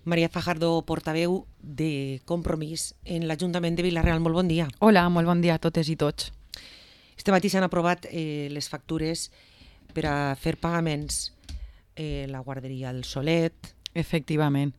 Maria Fajardo, portaveu de Compromís en l'Ajuntament de Vila-real. Molt bon dia. Hola, molt bon dia a totes i tots. Este matí s'han aprovat les factures per a fer pagaments la guarderia del Solet. Efectivament.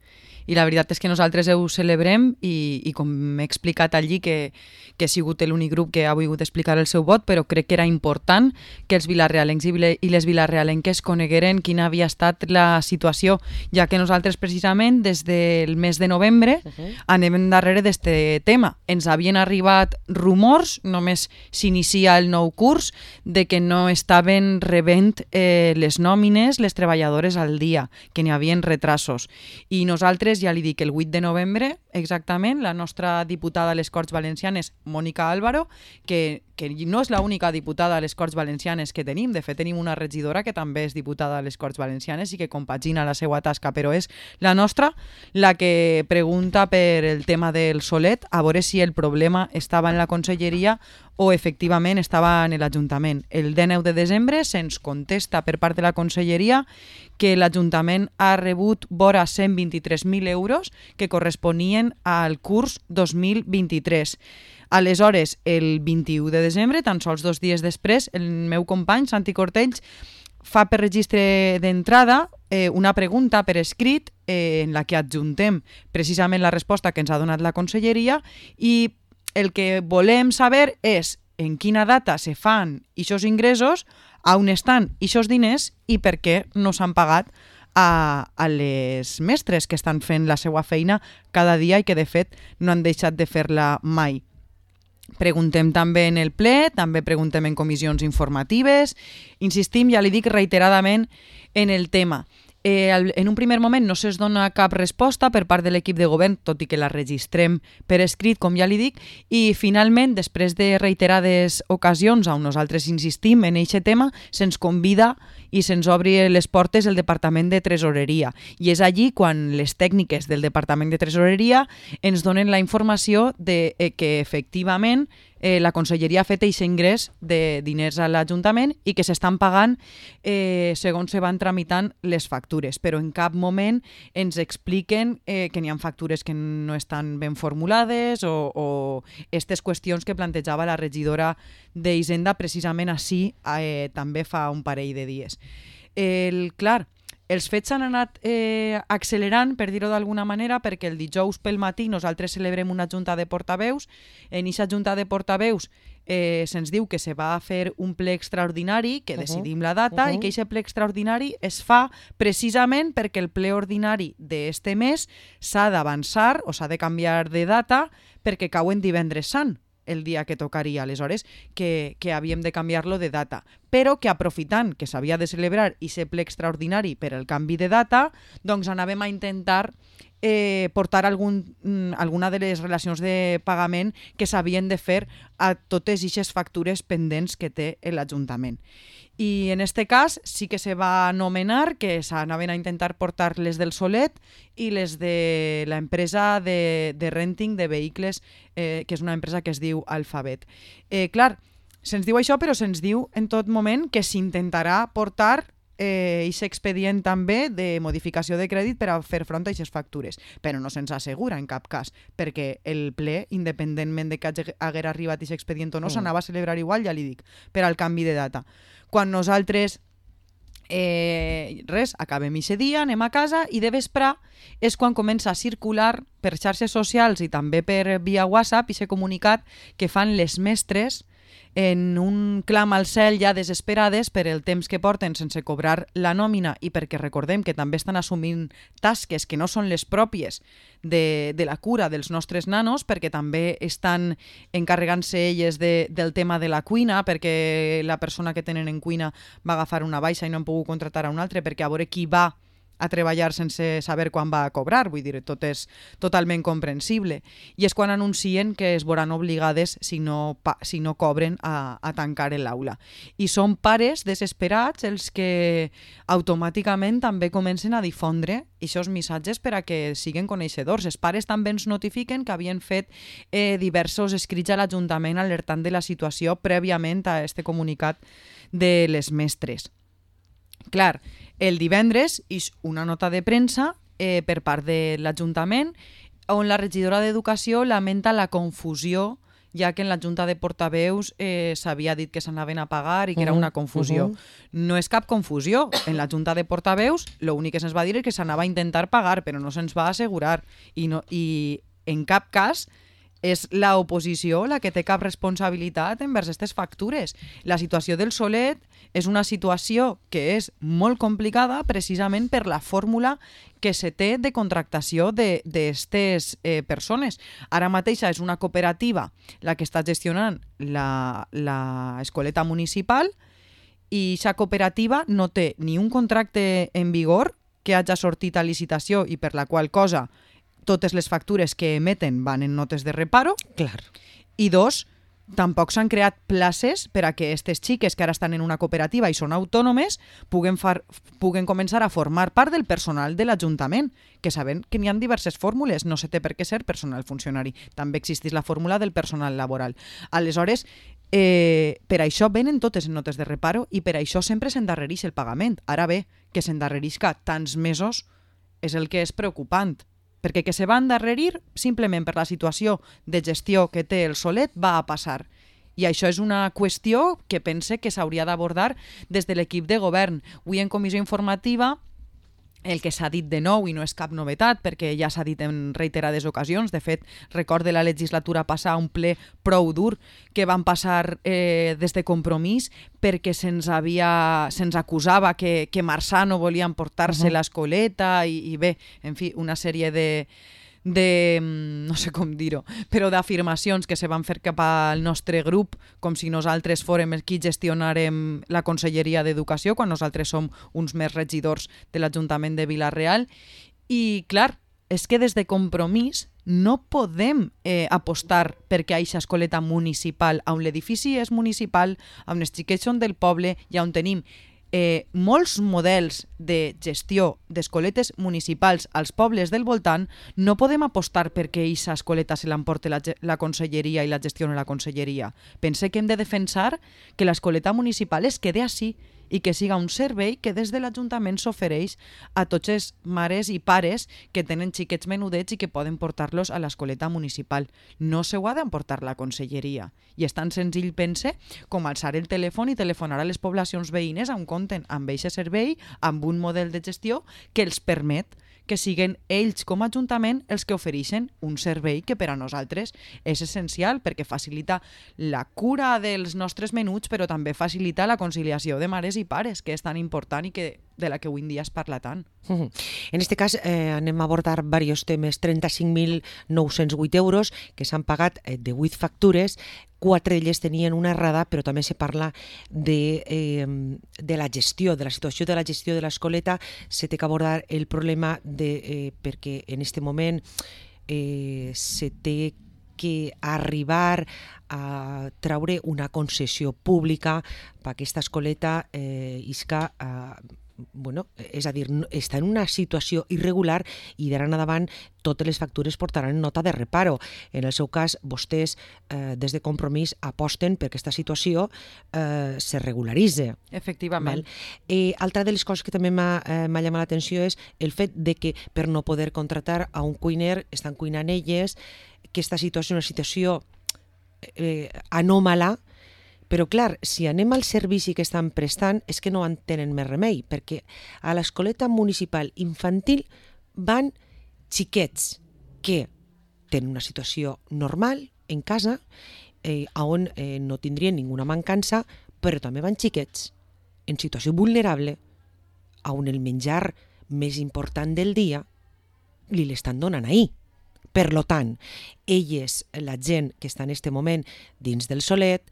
I la veritat és que nosaltres ho celebrem i com m'he explicat allí, que he sigut l'únic grup que ha volgut explicar el seu vot, però crec que era important que els vilarealencs i les vilarealenques conegueren quina havia estat la situació, ja que nosaltres precisament des del mes de novembre anem darrere d'este tema. Ens havien arribat rumors, només s'inicia el nou curs, de que no estaven rebent les nòmines, les treballadores al dia, que n'hi havien retrasos. I nosaltres, ja li dic, el 8 de novembre, exactament, la nostra diputada a les Corts Valencianes, Mònica Álvaro, que no és l'única diputada a les Corts Valencianes que tenim, de fet tenim una regidora que també és diputada a les Corts Valencianes i que compagina la seva tasca, però és la nostra la que pregunta per el tema del Solet, a veure si el problema estava en la conselleria o efectivament estava en l'Ajuntament. El 19 de desembre se'ns contesta per part de la conselleria que l'Ajuntament ha rebut vora 123.000 euros que corresponien al curs 2023. Aleshores, el 21 de desembre, tan sols 2 dies després, el meu company, Santi Cortells, fa per registre d'entrada una pregunta per escrit en la que adjuntem precisament la resposta que ens ha donat la conselleria, i el que volem saber és en quina data se fan aquests ingressos, on estan aquests diners i per què no s'han pagat a les mestres que estan fent la seva feina cada dia i que de fet no han deixat de fer-la mai. Preguntem també en el ple, també preguntem en comissions informatives, insistim, ja li dic reiteradament, en el tema. En un primer moment no se'ns dona cap resposta per part de l'equip de govern, tot i que la registrem per escrit, com ja li dic, i finalment, després de reiterades ocasions on nosaltres insistim en aquest tema, se'ns convida i se'ns obri les portes el Departament de Tresoreria. I és allí quan les tècniques del Departament de Tresoreria ens donen la informació de que efectivament la conselleria ha fet aquest ingrés de diners a l'Ajuntament i que s'estan pagant segons se van tramitant les factures, però en cap moment ens expliquen que n'hi ha factures que no estan ben formulades o aquestes qüestions que plantejava la regidora d'Hisenda precisament així també fa un parell de dies. Clar, els fets s'han anat accelerant, per dir-ho d'alguna manera, perquè el dijous pel matí nosaltres celebrem una junta de portaveus. En aquesta junta de portaveus se'ns diu que se va fer un ple extraordinari, que decidim la data, i que aquest ple extraordinari es fa precisament perquè el ple ordinari d'este mes s'ha d'avançar o s'ha de canviar de data perquè cau en divendres sant, el dia que tocaria, aleshores que havíem de canviar-lo de data, però que aprofitant que s'havia de celebrar aquest ple extraordinari per el canvi de data, doncs anàvem a intentar portar alguna de les relacions de pagament que s'havien de fer a totes aquestes factures pendents que té l'Ajuntament. I en aquest cas sí que se va anomenar que s'anaven a intentar portar les del Solet i les de l'empresa de renting de vehicles, que és una empresa que es diu Alphabet. Clar, se'ns diu això, però se'ns diu en tot moment que s'intentarà portar aquest expedient també de modificació de crèdit per a fer front a aquestes factures, però no se'ns assegura en cap cas, perquè el ple, independentment de que hagués arribat aquest expedient o no, s'anava a celebrar igual, ja li dic, per al canvi de data. Quan nosaltres acabem aquest dia, anem a casa i de vespre és quan comença a circular per xarxes socials i també per via WhatsApp aquest comunicat que fan les mestres en un clam al cel ja desesperades per el temps que porten sense cobrar la nòmina i perquè recordem que també estan assumint tasques que no són les pròpies de la cura dels nostres nanos, perquè també estan encarregant-se elles del tema de la cuina, perquè la persona que tenen en cuina va agafar una baixa i no han pogut contractar a un altre, perquè a veure qui va a treballar sense saber quan va a cobrar, vull dir, tot és totalment comprensible. I és quan anuncien que es veuran obligades, si no cobren, a tancar l'aula. I són pares desesperats els que automàticament també comencen a difondre aquests missatges per a que siguen coneixedors. Els pares també ens notifiquen que havien fet diversos escrits a l'Ajuntament alertant de la situació prèviament a este comunicat de les mestres. Clar, el divendres és una nota de premsa per part de l'Ajuntament, on la regidora d'Educació lamenta la confusió, ja que en la Junta de Portaveus s'havia dit que s'anaven a pagar i que era una confusió. No és cap confusió. En la Junta de Portaveus l'únic que se'ns va dir és que s'anava a intentar pagar, però no se'ns va assegurar. I en cap cas és l'oposició la que té cap responsabilitat envers aquestes factures. La situació del Solet és una situació que és molt complicada precisament per la fórmula que se té de contractació d'aquestes persones. Ara mateixa és una cooperativa la que està gestionant l'escoleta municipal i aquesta cooperativa no té ni un contracte en vigor que hagi sortit a licitació i per la qual cosa totes les factures que emeten van en notes de reparo. Clar. I dos, tampoc s'han creat places per a que aquestes xiques que ara estan en una cooperativa i són autònomes puguen començar a formar part del personal de l'Ajuntament, que sabem que n'hi ha diverses fórmules, no se té per què ser personal funcionari. També existeix la fórmula del personal laboral. Aleshores, per això venen totes en notes de reparo i per això sempre s'endarrereix el pagament. Ara bé, que s'endarrerisca tants mesos és el que és preocupant, perquè que se va endarrerir simplement per la situació de gestió que té el Solet va a passar. I això és una qüestió que pense que s'hauria d'abordar des de l'equip de govern. Avui en comissió informativa el que s'ha dit de nou, i no és cap novetat, perquè ja s'ha dit en reiterades ocasions, de fet, recorde la legislatura passada un ple prou dur que van passar des de Compromís perquè se'ns acusava que Marzano volia emportar-se l'escoleta i bé, en fi, una sèrie de no sé com dir-ho, però d'afirmacions que se van fer cap al nostre grup com si nosaltres fórem els qui gestionarem la Conselleria d'Educació quan nosaltres som uns més regidors de l'Ajuntament de Vila-real. I clar, és que des de Compromís no podem apostar perquè hi hagi escoleta municipal, on l'edifici és municipal, on els xiquets són del poble i on tenim molts models de gestió d'escoletes municipals als pobles del voltant. No podem apostar perquè aquesta escoleta se l'emporti la conselleria i la gestioni la conselleria. Pense que hem de defensar que l'escoleta municipal es quede així i que siga un servei que des de l'Ajuntament s'ofereix a tots els mares i pares que tenen xiquets menudets i que poden portar-los a l'escoleta municipal. No s'ho ha d'emportar la conselleria. I és tan senzill, pense, com alçar el telèfon i telefonar a les poblacions veïnes on compten amb aquest servei, amb un model de gestió que els permet que siguin ells com a Ajuntament els que ofereixen un servei que per a nosaltres és essencial perquè facilita la cura dels nostres menuts, però també facilita la conciliació de mares i pares, que és tan important i de la que avui en dia es parla tant. En este cas anem a abordar diversos temes. 35.908 euros que s'han pagat de 8 factures, 4 d'elles tenien una errada, però també se parla de la gestió, de la situació de la gestió de l'escoleta. Se té que abordar el problema perquè en aquest moment se té que arribar a treure una concessió pública per aquesta escoleta isca és a dir, està en una situació irregular i d'ara en endavant totes les factures portaran nota de reparo. En el seu cas, vostès des de Compromís aposten perquè aquesta situació se regularitzi. Efectivament. Altra de les coses que també m'ha llamat l'atenció és el fet de que per no poder contratar a un cuiner estan cuinant elles, que aquesta situació és una situació anòmala. Però clar, si anem al servici que estan prestant és que no en tenen més remei, perquè a l'escoleta municipal infantil van xiquets que tenen una situació normal en casa, on no tindrien ninguna mancança, però també van xiquets en situació vulnerable, on el menjar més important del dia li l'estan donant ahir. Per tant, elles, la gent que està en aquest moment dins del Solet,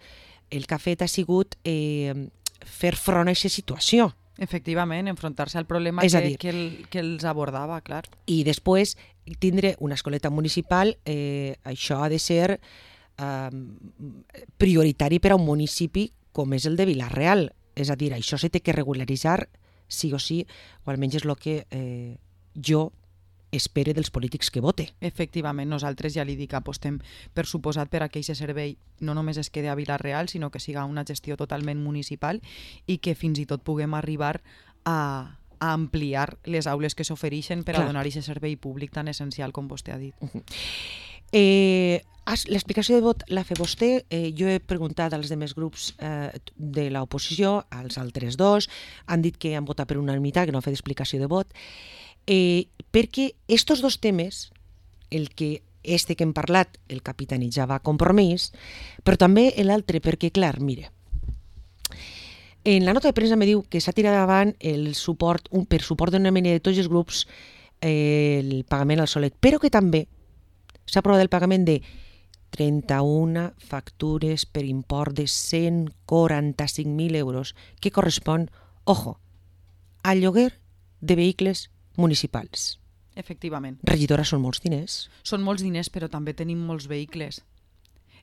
el que ha fet ha sigut fer front a aquesta situació. Efectivament, enfrontar-se al problema que els abordava, clar. I després tindre una escoleta municipal, això ha de ser prioritari per a un municipi com és el de Vila-real. És a dir, això se té que regularitzar sí o sí, o almenys és el que jo espere dels polítics que vote. Efectivament, nosaltres ja li dic, apostem per suposat per a que aquest servei no només es quede a Vila-real, sinó que siga una gestió totalment municipal i que fins i tot puguem arribar a a ampliar les aules que s'ofereixen per a donar aquest servei públic tan essencial com vostè ha dit. L'explicació de vot l'ha fet vostè. Jo he preguntat als demés grups de l'oposició, als altres dos, han dit que han votat per unanimitat, que no ha fet explicació de vot, perquè estos dos temes, el que que hem parlat, el capitanitzava Compromís, però també l'altre, perquè, clar, mire, en la nota de premsa me diu que s'ha tirat davant el suport, per suport d'una mena de tots els grups, el pagament al Solet, però que també s'ha aprovat el pagament de 31 factures per import de 145.000 euros, que correspon, ojo, al lloguer de vehicles municipals. Efectivament. Regidora, són molts diners. Són molts diners, però també tenim molts vehicles.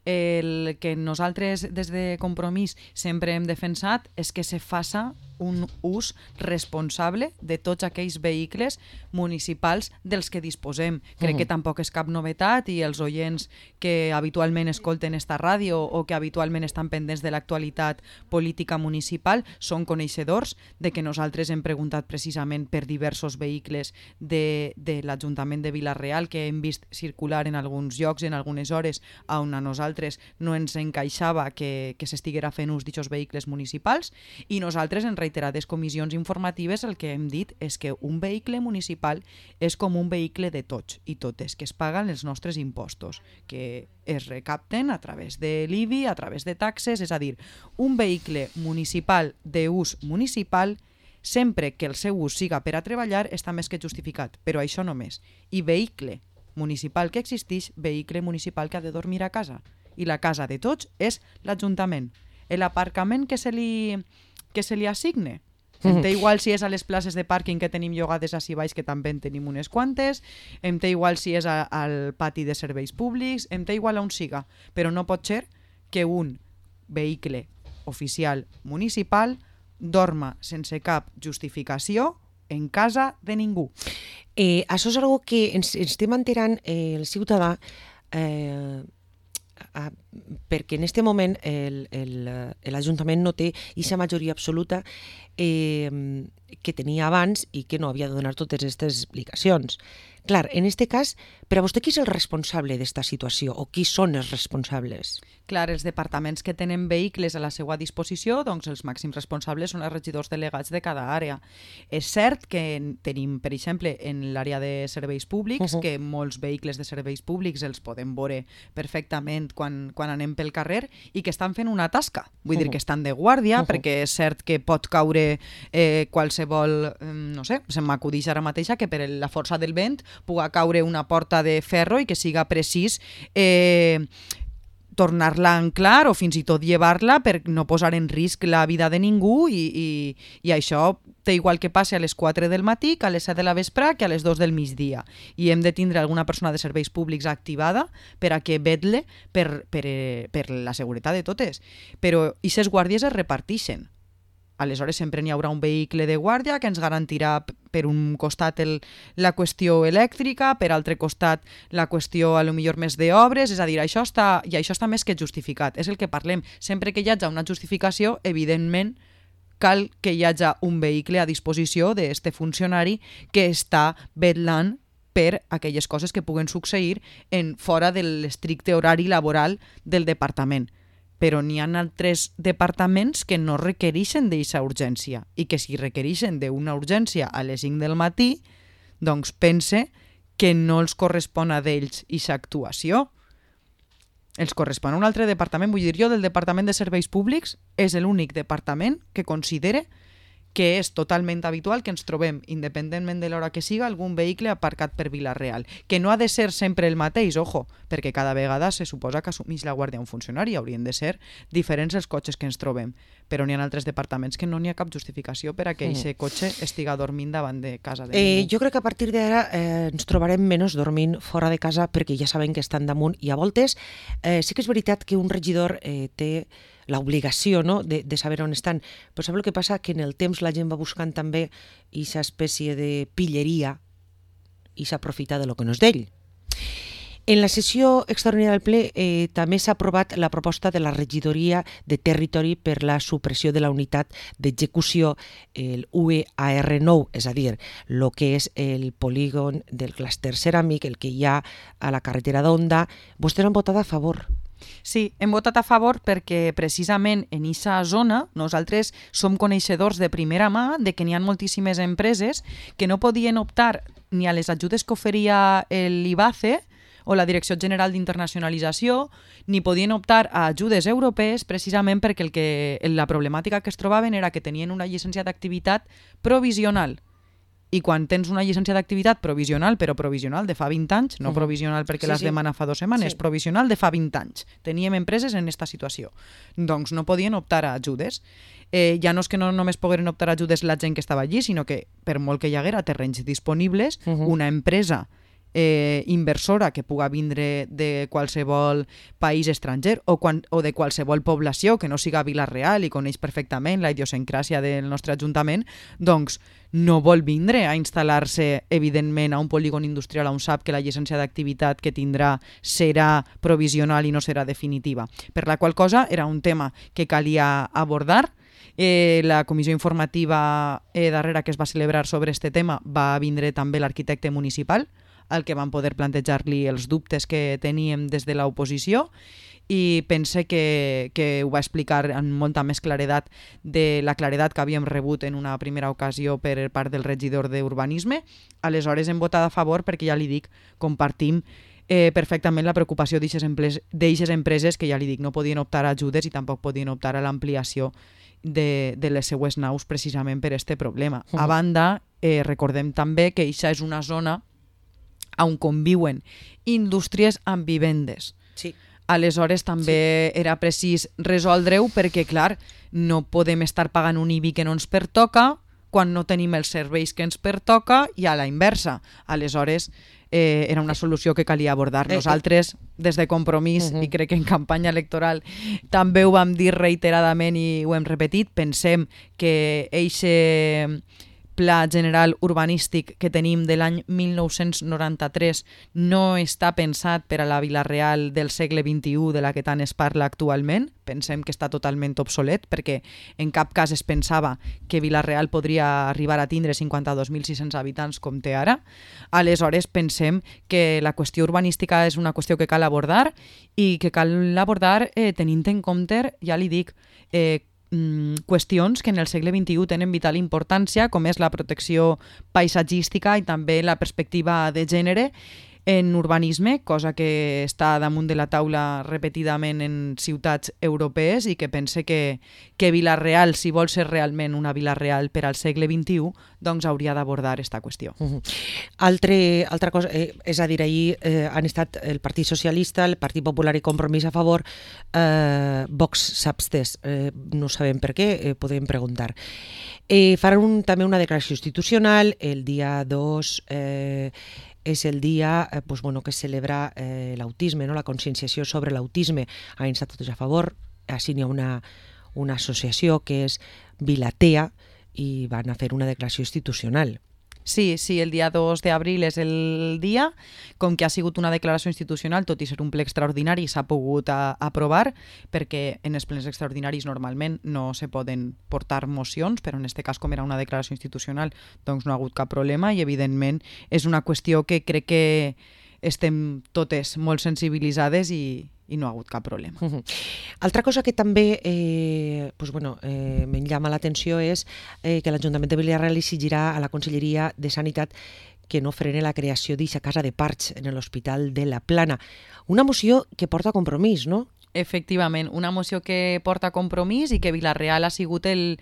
El que nosaltres des de Compromís sempre hem defensat és que se faça un ús responsable de tots aquells vehicles municipals dels que disposem. Crec que tampoc és cap novetat i els oients que habitualment escolten esta ràdio o que habitualment estan pendents de l'actualitat política municipal són coneixedors de que nosaltres hem preguntat precisament per diversos vehicles de l'Ajuntament de Vila-real que hem vist circular en alguns llocs, en algunes hores, on a nosaltres no ens encaixava que s'estiguera fent ús d'aquests vehicles municipals, i nosaltres en reiterades comissions informatives el que hem dit és que un vehicle municipal és com un vehicle de tots i totes, que es paguen els nostres impostos, que es recapten a través de l'IBI, a través de taxes, és a dir, un vehicle municipal d'ús municipal, sempre que el seu ús siga per a treballar, està més que justificat, però això només. I vehicle municipal que existeix, vehicle municipal que ha de dormir a casa. I la casa de tots és l'Ajuntament. L'aparcament que se li assigne. Em té igual si és a les places de pàrquing que tenim llogades així baix, que també en tenim unes quantes, em té igual si és al pati de serveis públics, em té igual on siga, però no pot ser que un vehicle oficial municipal dorma sense cap justificació en casa de ningú. Això és una que ens estem enterant el ciutadà perquè en aquest moment l'Ajuntament no té aquesta majoria absoluta que tenia abans i que no havia de donar totes aquestes explicacions. Clar, en aquest cas, per a vostè qui és el responsable d'esta situació o qui són els responsables? Clar, els departaments que tenen vehicles a la seva disposició, doncs els màxims responsables són els regidors delegats de cada àrea. És cert que tenim, per exemple, en l'àrea de serveis públics, que molts vehicles de serveis públics els podem veure perfectament quan anem pel carrer i que estan fent una tasca. Vull dir que estan de guàrdia, perquè és cert que pot caure qualsevol, no sé, se m'acudeix ara mateixa que per la força del vent puga caure una porta de ferro i que siga precís tornar-la a anclar o fins i tot llevar-la per no posar en risc la vida de ningú i això té igual que passi a les 4 del matí que a les 7 de la vespre que a les 2 del migdia. I hem de tindre alguna persona de serveis públics activada per a que vetle per la seguretat de totes. Però aquestes guàrdies es reparteixen. Aleshores sempre n'hi haurà un vehicle de guàrdia que ens garantirà per un costat la qüestió elèctrica, per altre costat la qüestió a lo millor més d'obres, és a dir, això està més que justificat. És el que parlem. Sempre que hi hagi una justificació, evidentment cal que hi hagi un vehicle a disposició d'aquest funcionari que està vetllant per aquelles coses que puguen succeir fora de l'estricte horari laboral del departament. Però n'hi ha altres departaments que no requereixen d'aquesta urgència i que si requereixen d'una urgència a les 5 del matí, doncs pense que no els correspon a d'ells aquesta actuació. Els correspon a un altre departament. Vull dir, jo del Departament de Serveis Públics és l'únic departament que considere que és totalment habitual que ens trobem, independentment de l'hora que siga, algun vehicle aparcat per Vila-real. Que no ha de ser sempre el mateix, ojo, perquè cada vegada se suposa que assumeix la guàrdia un funcionari, haurien de ser diferents els cotxes que ens trobem. Però n'hi ha altres departaments que no n'hi ha cap justificació per a que aquest cotxe estiga dormint davant de casa de ningú. Jo crec que a partir d'ara ens trobarem menys dormint fora de casa perquè ja sabem que estan damunt i a voltes sí que és veritat que un regidor té l'obligació, no?, de saber on estan. Però saps el que passa? Que en el temps la gent va buscant també aquesta espècie de pilleria i s'aprofita de lo que no és d'ell. En la sessió extraordinària del ple també s'ha aprovat la proposta de la regidoria de territori per la supressió de la unitat d'execució, el UEAR9, és a dir, el que és el polígon del clúster ceràmic, el que hi ha a la carretera d'Onda. Vostès han votat a favor. Sí, hem votat a favor perquè precisament en aquesta zona nosaltres som coneixedors de primera mà de que n'hi ha moltíssimes empreses que no podien optar ni a les ajudes que oferia l'IBACE o la Direcció General d'Internacionalització, ni podien optar a ajudes europees precisament perquè la problemàtica que es trobaven era que tenien una llicència d'activitat provisional. I quan tens una llicència d'activitat provisional, però provisional de fa 20 anys, no provisional perquè l'has demanat fa 2 setmanes, provisional de fa 20 anys. Teníem empreses en aquesta situació. Doncs no podien optar a ajudes. Ja no és que no només pogueren optar a ajudes la gent que estava allí, sinó que per molt que hi haguera terrenys disponibles, una empresa inversora que puga vindre de qualsevol país estranger o de qualsevol població que no siga Vila-real i coneix perfectament la idiosincràsia del nostre ajuntament, doncs no vol vindre a instal·lar-se, evidentment, a un polígon industrial on sap que la llicència d'activitat que tindrà serà provisional i no serà definitiva. Per la qual cosa era un tema que calia abordar. La comissió informativa darrera que es va celebrar sobre este tema va vindre també l'arquitecte municipal, al que van poder plantejar-li els dubtes que teníem des de l'oposició, i pense que ho va explicar amb molta més claredat de la claredat que havíem rebut en una primera ocasió per part del regidor d'Urbanisme. Aleshores hem votat a favor perquè, ja li dic, compartim perfectament la preocupació d'eixes empreses que, ja li dic, no podien optar a ajudes i tampoc podien optar a l'ampliació de les seues naus precisament per aquest problema. A banda, recordem també que això és una zona on conviuen indústries amb vivendes. Sí. Aleshores també era precís resoldre-ho perquè, clar, no podem estar pagant un IBI que no ens pertoca quan no tenim els serveis que ens pertoca i a la inversa. Aleshores, era una solució que calia abordar. Nosaltres, des de Compromís, i crec que en campanya electoral també ho vam dir reiteradament i ho hem repetit, pensem que eixe Pla General Urbanístic que tenim de l'any 1993 no està pensat per a la Vila-real del segle XXI de la que tant es parla actualment. Pensem que està totalment obsolet perquè en cap cas es pensava que Vila-real podria arribar a tindre 52.600 habitants com té ara. Aleshores pensem que la qüestió urbanística és una qüestió que cal abordar i que cal abordar tenint en compte, ja li dic, qüestions que en el segle XXI tenen vital importància, com és la protecció paisatgística i també la perspectiva de gènere en urbanisme, cosa que està damunt de la taula repetidament en ciutats europees i que pense que Vila-real, si vol ser realment una Vila-real per al segle XXI, doncs hauria d'abordar aquesta qüestió. Altra cosa, és a dir, ahir han estat el Partit Socialista, el Partit Popular i Compromís a favor, Vox s'ha abstès, no sabem per què, podem preguntar. Faran també una declaració institucional, el dia 2 és el dia que es celebra l'autisme, la conscienciació sobre l'autisme. Han estat tots a favor, així n'hi ha una associació que és Vilatea i van a fer una declaració institucional. Sí, el dia 2 d'abril és el dia, com que ha sigut una declaració institucional, tot i ser un ple extraordinari, s'ha pogut aprovar, perquè en els plens extraordinaris normalment no se poden portar mocions, però en aquest cas, com era una declaració institucional, doncs no ha hagut cap problema i, evidentment, és una qüestió que crec que estem totes molt sensibilitzades i no ha hagut cap problema. Altra cosa que també em llama l'atenció és que l'Ajuntament de Vila-real exigirà a la Conselleria de Sanitat que no frene la creació d'aquesta casa de parts en l'Hospital de la Plana. Una moció que porta Compromís, no? Efectivament, una moció que porta Compromís i que Vila-real ha sigut el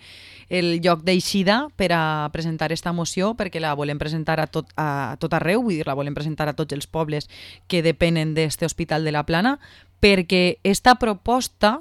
lloc d'eixida per a presentar aquesta moció, perquè la volem presentar a tot arreu, vull dir, la volem presentar a tots els pobles que depenen d'este Hospital de la Plana, perquè esta proposta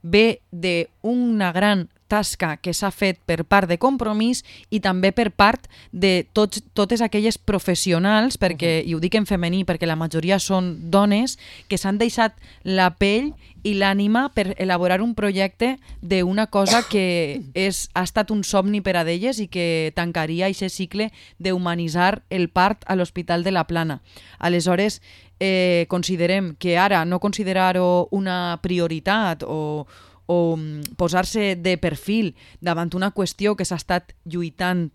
ve d'una gran tasca que s'ha fet per part de Compromís i també per part de totes aquelles professionals, perquè, i ho dic en femení perquè la majoria són dones, que s'han deixat la pell i l'ànima per elaborar un projecte d'una cosa que ha estat un somni per a d'elles i que tancaria aquest cicle d'humanitzar el part a l'Hospital de la Plana. Aleshores, considerem que ara no considerar-ho una prioritat o posar-se de perfil davant una qüestió que s'ha estat lluitant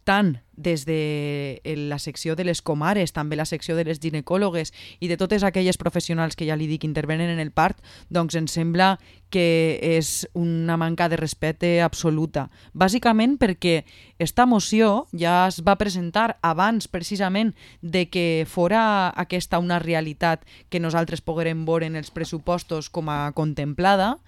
tant des de la secció de les comares, també la secció de les ginecòlogues i de totes aquelles professionals que ja li dic intervenen en el part, doncs ens sembla que és una manca de respecte absoluta. Bàsicament perquè esta moció ja es va presentar abans precisament de que fora aquesta una realitat que nosaltres poguérem veure en els pressupostos com a contemplada,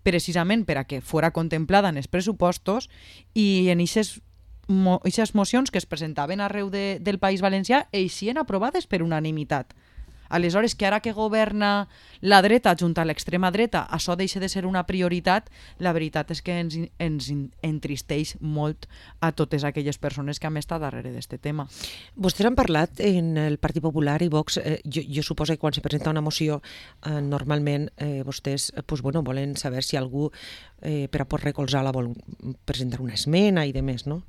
precisament per a que fora contemplada en els pressupostos, i en aquestes mocions que es presentaven arreu del País Valencià eixien aprovades per unanimitat. Aleshores, que ara que governa la dreta junt a l'extrema dreta, això deixa de ser una prioritat, la veritat és que ens entristeix molt a totes aquelles persones que han estat darrere d'aquest tema. Vostès han parlat en el Partit Popular i Vox, jo suposo que quan se presenta una moció, normalment vostès volen saber si algú per a poder recolzar-la vol presentar una esmena i demés, no?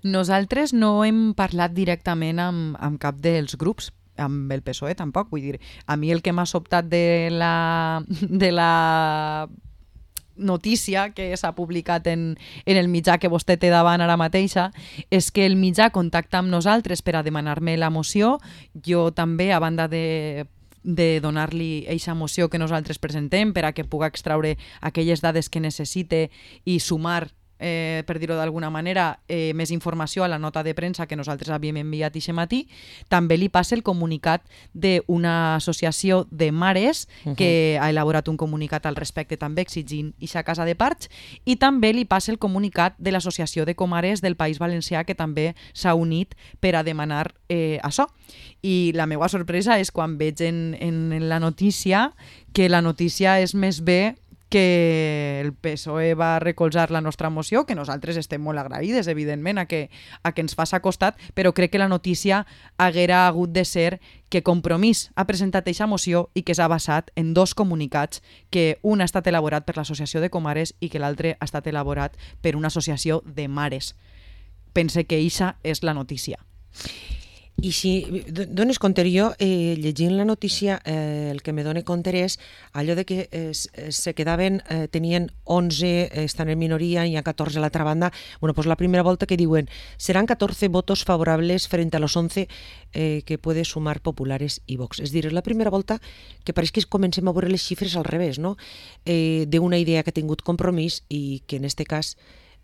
Nosaltres no hem parlat directament amb cap dels grups, amb el PSOE tampoc, vull dir, a mi el que m'ha sobtat de la notícia que s'ha publicat en el mitjà que vostè té davant ara mateixa és que el mitjà contacta amb nosaltres per a demanar-me la moció. Jo també, a banda de donar-li eixa moció que nosaltres presentem per a que puga extraure aquelles dades que necessite i sumar, per dir-ho d'alguna manera, més informació a la nota de premsa que nosaltres havíem enviat aquest matí. També li passa el comunicat d'una associació de mares que ha elaborat un comunicat al respecte també exigint eixa casa de parts, i també li passa el comunicat de l'Associació de Comares del País Valencià, que també s'ha unit per a demanar això. I la meva sorpresa és quan veig en la notícia que la notícia és més bé que el PSOE va recolzar la nostra moció, que nosaltres estem molt agraïdes, evidentment, a que ens faci costat, però crec que la notícia haguera hagut de ser que Compromís ha presentat aquesta moció i que s'ha basat en dos comunicats, que un ha estat elaborat per l'Associació de Comares i que l'altre ha estat elaborat per una associació de mares. Pense que eixa és la notícia. I si dones compte, jo llegint la notícia el que me dona compte és allò de que se quedaven, tenien 11, estan en minoria, i hi ha 14 a l'altra banda. Bueno, pues la primera volta que diuen serán 14 votos favorables frente a los 11 que puede sumar Populares i Vox. És dir, és la primera volta que pareix que comencem a veure les xifres al revés, no? D'una idea que ha tingut Compromís i que en este cas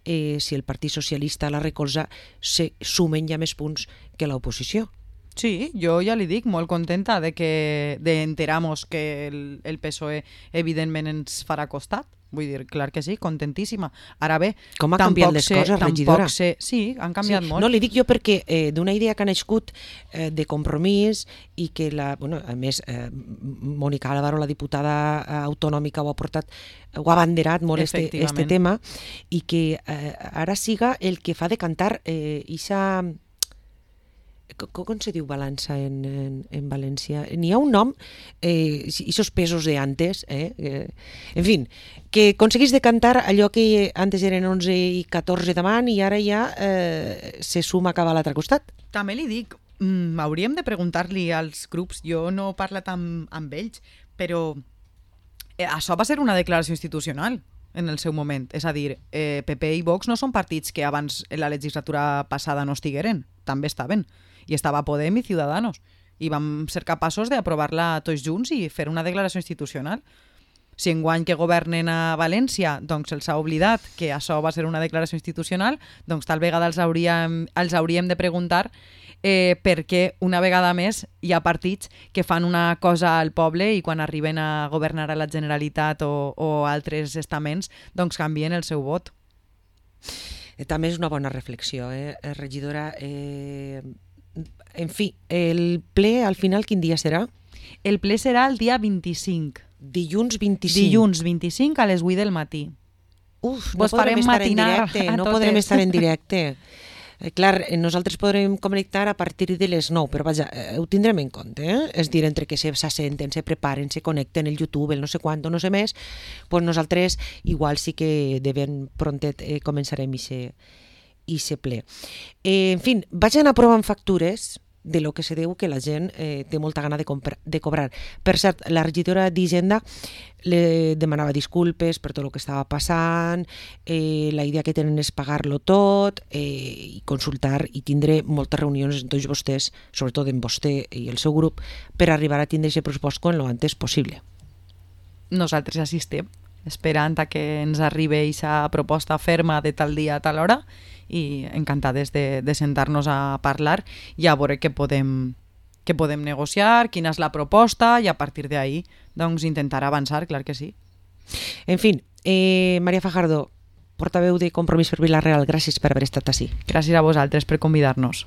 si el Partit Socialista la recolza, se sumen ja més punts que l'oposició. Sí, jo ja li dic, molt contenta d'enterar-nos que el PSOE evidentment ens farà costat. Vull dir, clar que sí, contentíssima. Ara bé, com ha canviat les coses, regidora? Sí, han canviat molt. No, li dic jo perquè d'una idea que ha nascut de Compromís i que, a més, Mònica Álvaro, la diputada autonòmica, ho ha abanderat molt este tema, i que ara siga el que fa decantar ixa... Com se diu balança en València? N'hi ha un nom, esos pesos de antes, en fi, que aconseguís decantar allò que antes eren 11 i 14 davant i ara ja se suma cap a l'altre costat. També li dic, hauríem de preguntar-li als grups, jo no he parlat amb ells, però això va ser una declaració institucional en el seu moment. És a dir, PP i Vox no són partits que abans la legislatura passada no estigueren, també estaven. I estava Podem i Ciudadanos. I vam ser capaços d'aprovar-la tots junts i fer una declaració institucional. Si enguany que governen a València doncs els ha oblidat que això va ser una declaració institucional, doncs tal vegada els hauríem de preguntar per què una vegada més hi ha partits que fan una cosa al poble i quan arriben a governar a la Generalitat o altres estaments doncs canvien el seu vot. També és una bona reflexió, regidora. En fi, el ple al final quin dia serà? El ple serà el dia 25. Dilluns 25. Dilluns 25 a les 8 del matí. Uf, no Vos farem podrem estar en matinar directe, a no totes. podrem estar en directe. Clar, nosaltres podrem connectar a partir de les 9, però vaja, ho tindrem en compte, És dir, entre que s'assenten, se preparen, se connecten, el YouTube, el no sé quant, no sé més, doncs nosaltres igual sí que de ben prontet començarem i se ple. En fi, vaig anar provant factures de lo que se deu que la gent té molta gana de cobrar. Per cert, la regidora d'Hisenda le demanava disculpes per tot el que estava passant, la idea que tenen és pagar-lo tot i consultar i tindre moltes reunions amb tots vostès, sobretot amb vostè i el seu grup, per arribar a tindre aquest pressupost quan lo antes possible. Nosaltres assistim, esperant a que ens arribi aquesta proposta ferma de tal dia a tal hora i encantades de sentar-nos a parlar i a veure què podem negociar, quina és la proposta i a partir d'ahí doncs, intentar avançar, clar que sí. En fi, Maria Fajardo, portaveu de Compromís per Vila-real, gràcies per haver estat ací. Gràcies a vosaltres per convidar-nos.